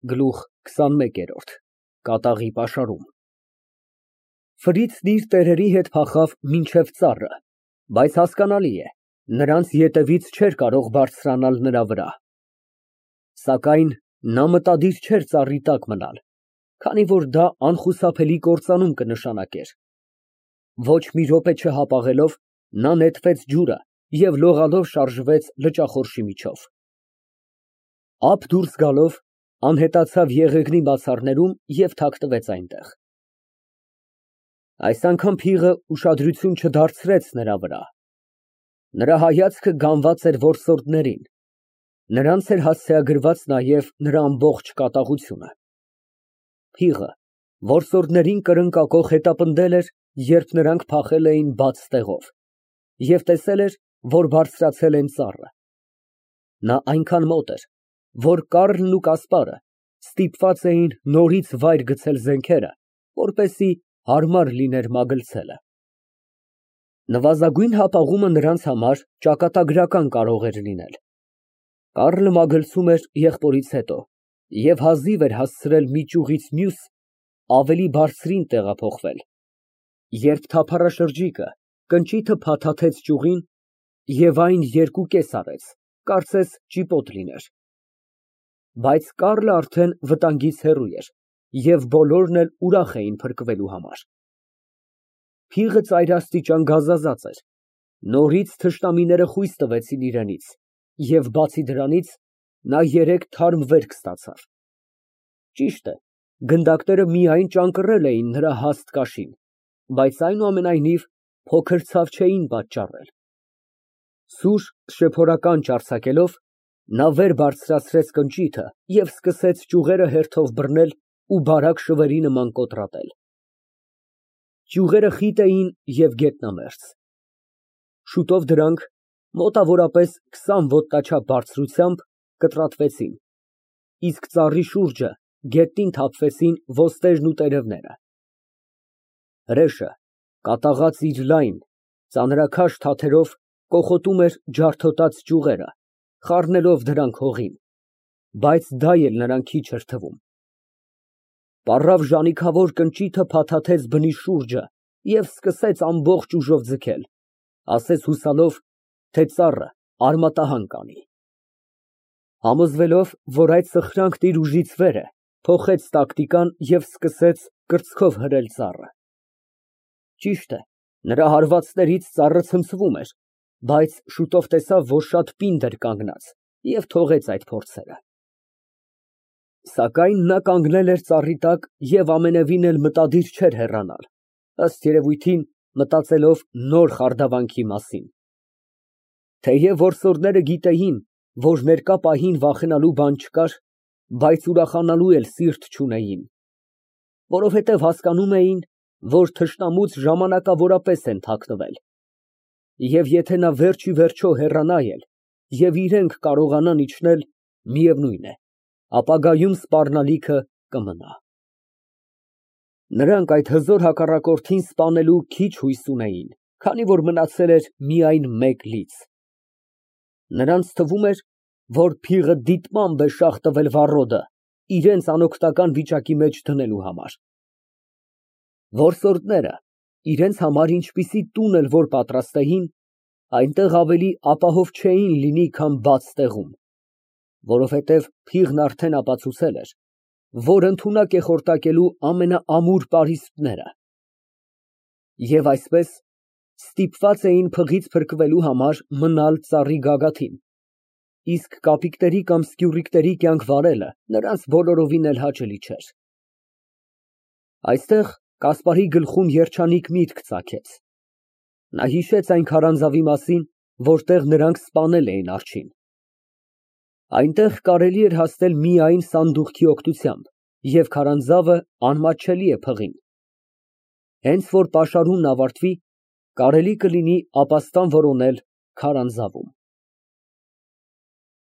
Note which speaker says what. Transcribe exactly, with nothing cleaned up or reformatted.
Speaker 1: Գլուխ քսանմեկերորդ ԿԱՏԱՂԻ ՊԱՇԱՐՈՒՄ Ֆրիցն իր տերերի հետ փախավ մինչև ծառը, բայց հասկանալի է, նրանց ետևից չէր կարող բարձրանալ նրա վրա, սակայն նա մտադիր չէր ծառի տակ մնալ, քանի որ դա անխուսափելի կործանում կնշանակեր, ոչ մի րոպե չհապաղելով, նա նետվեց ջուրը և լողալով շարժվեց լճախորշի միջով, ափ դուրս գալով, անհետացավ եղեգնի բացառներում և թաքնվեց այնտեղ, այս անգամ փիղը ուշադրություն չդարձրեց նրա վրա, նրա հայացքը գանված էր որսորդներին, նրանց էր հասցեագրված նաև նրա ամբողջ կատաղությունը, փիղը որսորդներին կրնկակող հետապնդել էր, երբ նրանք փախել էին բաց տեղով և տեսել էր, որ բարձրացել են ծառը, նա այնքան մոտ էր, որ Կառլն ու Կասպարը ստիպված էին նորից վայր գցել զենքերը, որպեսզի հարմար լիներ մագլցելը, նվազագույն հապաղումը նրանց համար ճակատագրական կարող էր լինել, Կառլը մագլցում էր եղբորից հետո և հազիվ էր հասցրել մի ճյուղից մյուս ավելի բարձրին տեղափոխվել, երբ թափառաշրջիկը կնճիթը փաթաթեց ճյուղին և այն երկուկես արեց, կարծես ճիպոտ լիներ, բայց Կառլը արդեն վտանգից հեռու էր և բոլորն էլ ուրախ էին փրկվելու համար, փիղը ծայրաստիճան գազազած էր, նորից թշնամիները խույս տվեցին իրենից և բացի դրանից, նա երեք թարմ վերք ստացավ, ճիշտ է, գնդակները միայն ճանկռել էին նրա հաստ կաշին, բայց այնուամենայնիվ փոքր ցավ չէին պատճառել, սուր շեփորականջ արձակելով, նա վեր բարձրացրեց կնճիթը և սկսեց ճյուղերը հերթով բռնել ու բարակ շվերի նման կոտրատել, ճյուղերը խիտ էին և գետնամերձ, շուտով դրանք մոտավորապես քսան ոտնաչափ բարձրությամբ կտրատվեցին, իսկ ծառի շուրջը գետնին թափվեցին ոստերն ու տերևները, հրեշը կատաղած իր լայն, ծանրաքաշ թաթերով կոխոտում էր ջարդոտած ճյուղերը, խառնելով դրանք հողին, բայց դա էլ նրան քիչ էր թվում, պառավ ժանիքավոր կնճիթը փաթաթեց բնի շուրջը և սկսեց ամբողջ ուժով ձգել, ասես հուսալով, թե ծառը արմատահան կանի, համոզվելով, որ այդ սխրանքն իր ուժից վեր է, փոխեց տակտիկան և սկսեց կրծքով հրել ծառը, ճիշտ է, նրա հարվածներից ծառը ցնցվում էր, բայց շուտով տեսավ, որ շատ պինդ էր կանգնած և թողեց այդ փորձերը, սակայն նա կանգնել էր ծառի տակ և ամենևին էլ մտադիր չէր հեռանալ, ըստ երևույթին մտածելով նոր խարդավանքի մասին, թեև որսորդները գիտեին, որ ներկա պահին վախենալու բան չկար, բայց ուրախանալու էլ սիրտ չունեին, որովհետև հասկանում էին, որ թշնամուց ժամանակավորապես են թաքնվել, և եթե նա վերջ ի վերջո հեռանա էլ և իրենք կարողանան իջնել, միևնույն է, ապագայում սպառնալիքը կմնա, նրանք այդ հզոր հակառակորդին սպանելու քիչ հույս ունեին, քանի որ մնացել էր միայն մեկ լից, նրանց թվում էր, որ փիղը դիտմամբ է շաղ տվել վառոդը, իրենց անօգնական վիճակի մեջ դնելու համար, որսորդները իրենց համար ինչպիսի տուն էլ որ պատրաստեին, այնտեղ ավելի ապահով չէին լինի, քան բաց տեղում, որովհետև փիղն արդեն ապացուցել էր, որ ընդունակ է խորտակելու ամենաամուր պարիսպները, և այսպես, ստիպված էին փղից փրկվելու համար մնալ ծառի գագաթին, իսկ կապիկների կամ սկյուռիկների կյանք վարելը նրանց բոլորովին էլ հաճելի չէր, այստեղ Կասպարի գլխում երջանիկ միտք ծագեց, նա հիշեց այն քարանձավի մասին, որտեղ նրանք սպանել էին արջին, այնտեղ կարելի էր հասնել միայն սանդուղքի օգնությամբ և քարանձավը անմատչելի է փղին, հենց որ պաշարումն ավարտվի, կարելի կլինի ապաստան որոնել քարանձավում։